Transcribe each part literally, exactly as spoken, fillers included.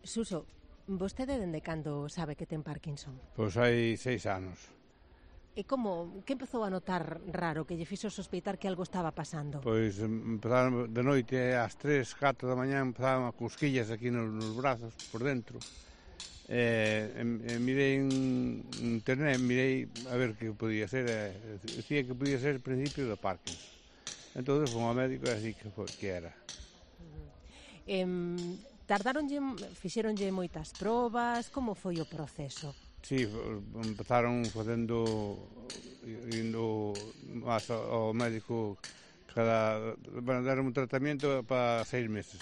Suso, vostede dende cando sabe que ten Parkinson? Pois hai seis anos. E como, que empezou a notar raro, que lle fixo sospeitar que algo estaba pasando? Pois empezaron de noite ás tres, catro da mañá, empezaban a cosquillas aquí nos, nos brazos, por dentro. E, e mirei en internet, mirei a ver que podía ser, e decía que podía ser o principio do Parkinson. Entón, foi ao médico e así que, foi, que era. Eh, tardaronlle, fixeronlle moitas probas, como foi o proceso? Sí, empezaron facendo, indo máis ao médico cada, bueno, deron un tratamento para seis meses.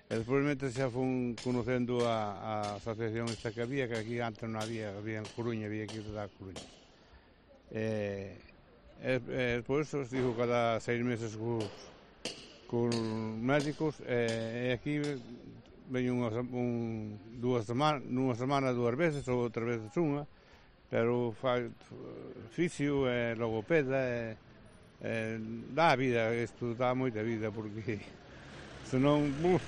E despois xa fun conocendo a, a asociación esta que había, que aquí antes non había, había en Coruña, había que ir da Coruña. E, e, e despois os digo cada seis meses cos, cos médicos, e, e aquí veño unha, un, dúas semanas, nunha semana dúas veces ou outras veces unha, pero fai fisio e logopeda e, e dá a vida, isto dá moita vida porque senón, uf.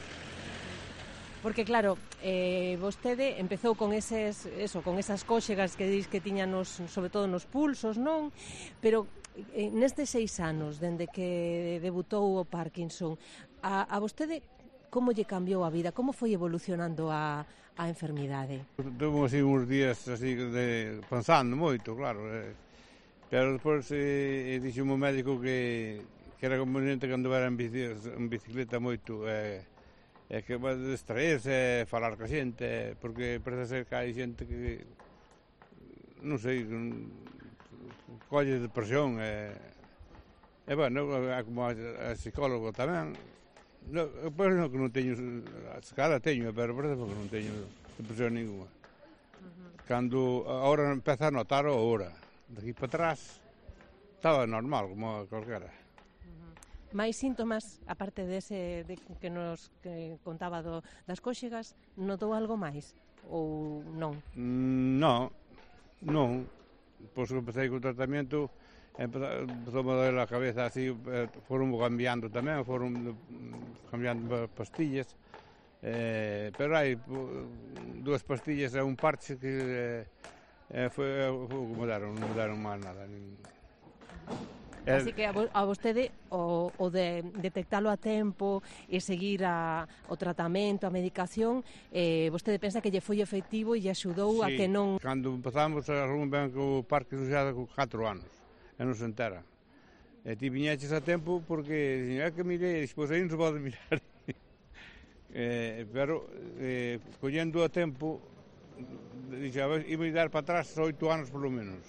Porque claro, eh, vostede empezou con eses, eso, con esas cóxegas que dis que tiña nos, sobre todo nos pulsos, non? Pero eh, nestes seis anos, dende que debutou o Parkinson, a, a vostede como lle cambiou a vida? Como foi evolucionando a, a enfermidade? Tuve así uns días así de, pensando moito, claro, eh, pero despois eh, dixo o médico que, que era conveniente que anduvera en, bici, en bicicleta moito, eh, e que vai distraerse, falar ca xente, porque parece ser que hai xente que, non sei, colle depresión, e, e bueno, como a, a psicólogo tamén, no, pois non que non teño, a cara teño, pero parece que non teño depresión ninguna. Uh-huh. Cando agora empeza a notar ahora, de aquí para atrás, estaba normal, como calquera. Máis síntomas, aparte dese de que nos que contaba do, das cóxegas, notou algo máis? Ou non? Mm, non, non. Pois que empecé co tratamento, empezou a doler a cabeza así, foron cambiando tamén, foron cambiando pastillas, eh, pero hai dúas pastillas e un parche que eh, foi, como deron, non deron máis nada, nin... Así que a vostede o, o de detectalo a tempo e seguir a, o tratamento, a medicación, eh, vostede pensa que lle foi efectivo e lle axudou sí, a que non... Cando empezamos, algún ben que o Parkinson xa con catro anos, e non se entera. E ti viñeches a tempo porque, é que mirei, pois aí non se pode mirar. eh, pero, eh, collendo a tempo, dixe, a ver, iba a dar para atrás oito anos polo menos.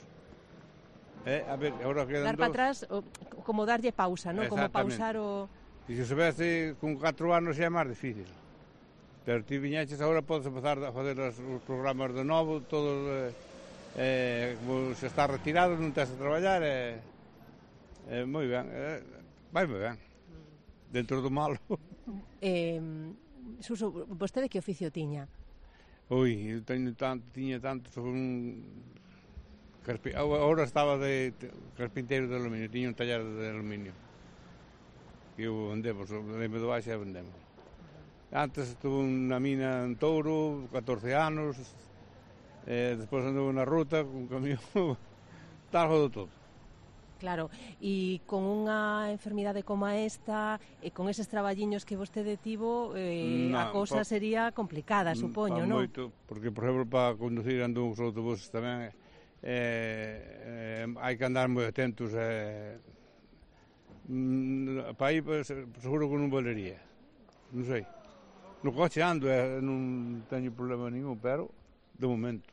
Eh, a ver, ahora quedan dar para atrás, o, como darlle pausa, non? Como pausar o... E se soubese con catro anos xa é máis difícil. Pero ti viñeches, agora podes empezar a fazer os, os programas de novo, todo, eh, eh, como se está retirado, non tens a traballar, e eh, eh, moi ben, eh, vai moi ben, dentro do malo. Eh, Suso, vostede que oficio tiña? Ui, eu teño tanto, tiña tanto, sobre un... Agora estaba de carpinteiro de aluminio, tiña un taller de aluminio. E eu vendemos, vendemos do baixa e vendemos. Antes estuve na mina en Touro, catorce anos, e despois anduve na ruta, con camión, tal, de todo. Claro, e con unha enfermidade como esta, e con eses traballiños que vostede tivo, eh, no, a cousa pa, sería complicada, supoño, non? Moito, porque, por exemplo, para conducir ando uns autobuses tamén, Eh, eh, hai que andar moi atentos, eh, mm, para aí pues, seguro que non valería, non sei, no coche ando e eh, non teño problema ningún, pero de momento.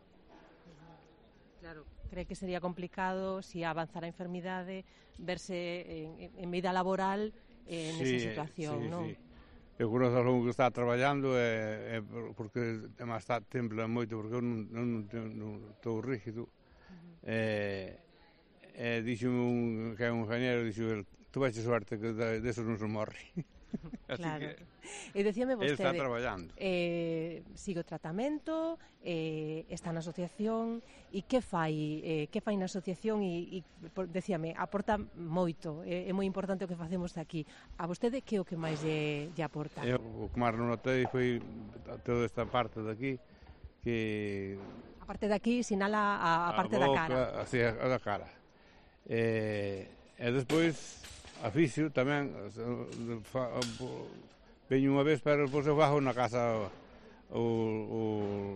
Claro, cree que sería complicado si avanzar a enfermidade verse en, en vida laboral eh, nesa sí, situación, sí, non? Sí. Eu conozco algún que está traballando e, e porque además está tembla moito porque eu non, non, non, non estou rígido. E, e dixo un, que é un ingeniero, dixo, tu vexe suerte que de, de eso non se morre. Así Claro. que E dicíame ele está vostede, traballando. eh, sigue o tratamento, eh, está na asociación, e que fai, eh, que fai na asociación e, e por, decíame, aporta moito, é, é moi importante o que facemos aquí. A vostede que é o que máis lle, lle aporta? Eu, o que máis non notei foi toda esta parte de aquí, que A parte de aquí sinala a, a parte da boca, cara. así, a da cara. E, e despois, a fisio tamén, fa, veño unha vez, pero depois eu fajo na casa o, o,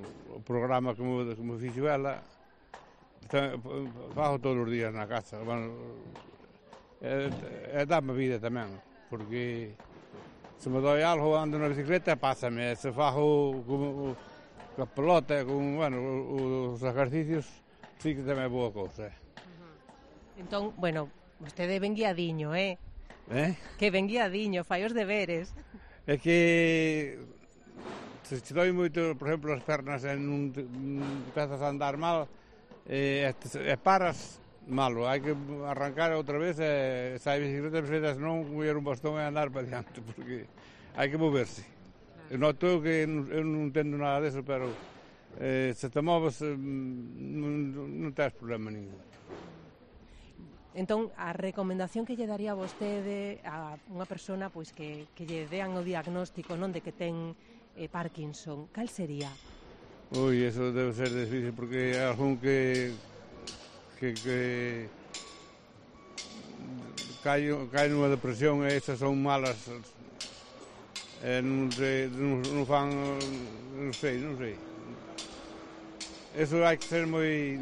o programa que me, que me fixo ela, fajo todos os días na casa. Bueno, e, e dá-me vida tamén, porque se me dói algo ando na bicicleta, pásame, se fajo como a pelota, con, bueno, os exercicios, sí que tamén é boa cousa. Uh-huh. Entón, bueno, vostede ven guiadiño, eh? Eh? Que ven guiadiño, fai os deberes. É que se te doi moito, por exemplo, as pernas e non empezas a andar mal, e, e paras malo, hai que arrancar outra vez e sair bicicleta, bicicleta, senón coller un bastón e andar para diante, porque hai que moverse. Eu noto eu que eu non entendo nada deso, pero eh, se te moves eh, non, non tens problema ningún. Entón, a recomendación que lle daría a vostede a unha persona pois que, que lle dean o diagnóstico non de que ten eh, Parkinson, cal sería? Ui, eso debe ser difícil, porque hai algún que que, que cae, cae nunha depresión e esas son malas. Eh, non, sei, non, non fan, non sei, non sei. Eso hai que ser moi...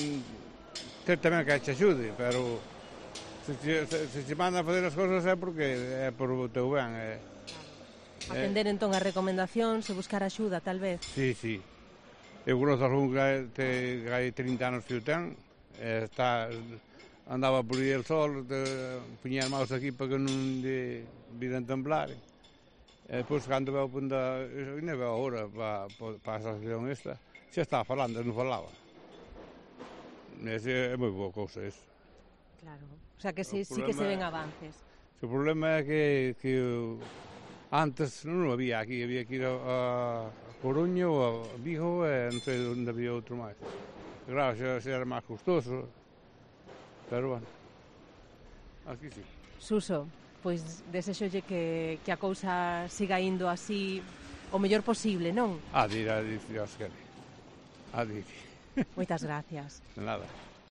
ter tamén que te axude, pero se te, se, se te manda a fazer as cousas é porque é por o teu ben. É, Atender entón a recomendacións e buscar axuda, tal vez? Sí, sí. Eu conozco algún que, te, que hai trinta anos que o ten, e está, andaba por aí el sol, puñía as maus aquí para que non lle viran temblar. E depois, cando veo punta, ainda veo agora para, para a asociación esta, xa estaba falando, non falaba. Ese é moi boa cousa, eso. Claro, o sea que sí, sí problema, que se ven avances. O problema é que, que antes non había aquí, había que ir a, a Coruña ou a Vigo e non sei onde había outro máis. Claro, xa, xa era máis custoso, pero bueno, aquí sí. Suso, pois desexolle que, que a cousa siga indo así o mellor posible, non? A dir, a dir, Dios quere. A dir. Moitas gracias. Nada.